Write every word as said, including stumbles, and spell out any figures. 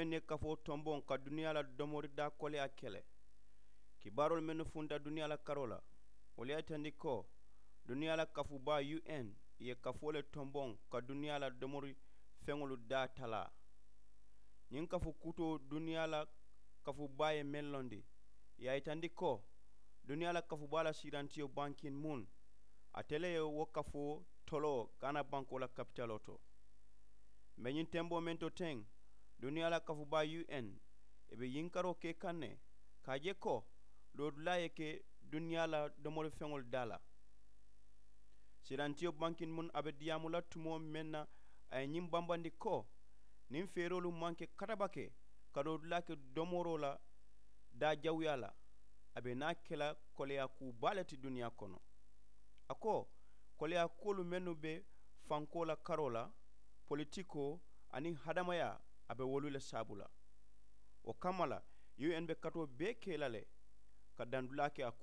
N ye kafoo tomboŋ ka duniyaa la domori daa koleyaa ke le. Kibaaroolu mennu funta duniyaa la karoo la, wolu ye a yitandi ko duniyaa la kafuu baa u n ì ye kafoo le tomboŋ ka duniyaa la domori feŋolu daa talaa. Ñiŋ kafuu kutoo duniyaa la kafuu baa ye meŋ londi, ì ye a yitandi ko duniyaa la kafuu baa la siirantiyo bankin mun, ate le ye wo kafoo toloo gaana bankoo la kapitaloo to. Mbe ñiŋ temboo meŋ to teŋ, duniyaa la kafuu baa u n ì be yinkaroo ke kaŋ ne ka a je ko loodulaa ye ke duniyaa la domori feŋolu daa la. Siirantiyo bankin mun a be diyaamu la tumoo meŋ na, a ye ñiŋ bambandi ko niŋ feeroolu maŋ ke katabake ka loodulaa ke domoroo la daa jawuyaa la, a be naa ke la koleyaa kuu baa le ti duniyaa kono. A ko koleyaa kuwolu mennu be fankoo la karoo la, politikoo aniŋ hadamayaa, a be wolu le saabu la. Wo kamma la u n be katoo bee ke la le ka dandulaa ke a kuŋ.